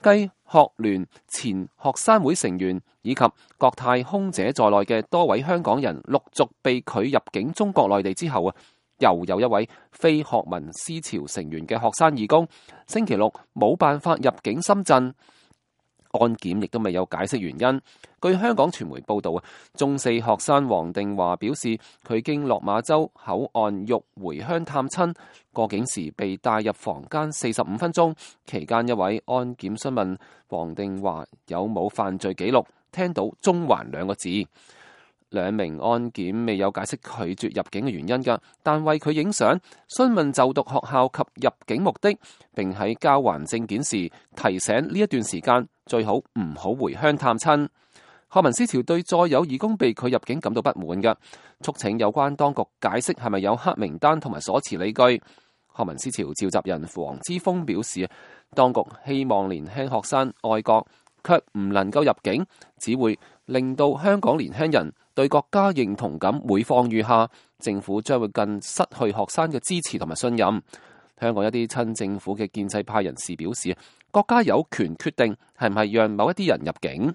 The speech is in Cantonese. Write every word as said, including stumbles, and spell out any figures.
繼學聯前學生會成員以及國泰空姐在內嘅多位香港人陸續被拒入境中國內地之後啊，又有一位非學民思潮成員嘅學生義工，星期六冇辦法入境深圳。安檢亦都未有解釋原因。據香港傳媒報道啊，中四學生黃定華表示，佢經落馬洲口岸欲回鄉探親，過境時被帶入房間四十五分鐘，期間一位安檢詢問黃定華有冇犯罪記錄，聽到中環兩個字。兩名安檢未有解釋拒絕入境嘅原因㗎，但為佢影相、詢問就讀學校及入境目的，並喺交還證件時提醒呢一段時間最好唔好回鄉探親。學民思潮對再有義工被拒入境感到不滿㗎，促請有關當局解釋係咪有黑名單同埋所持理據。學民思潮召集人黃之鋒表示，當局希望年輕學生愛國，卻唔能夠入境，只會令到香港年輕人對國家認同感每況愈下，政府將會更失去學生嘅支持同埋信任。香港一啲親政府嘅建制派人士表示，國家有權決定係唔係讓某一啲人入境。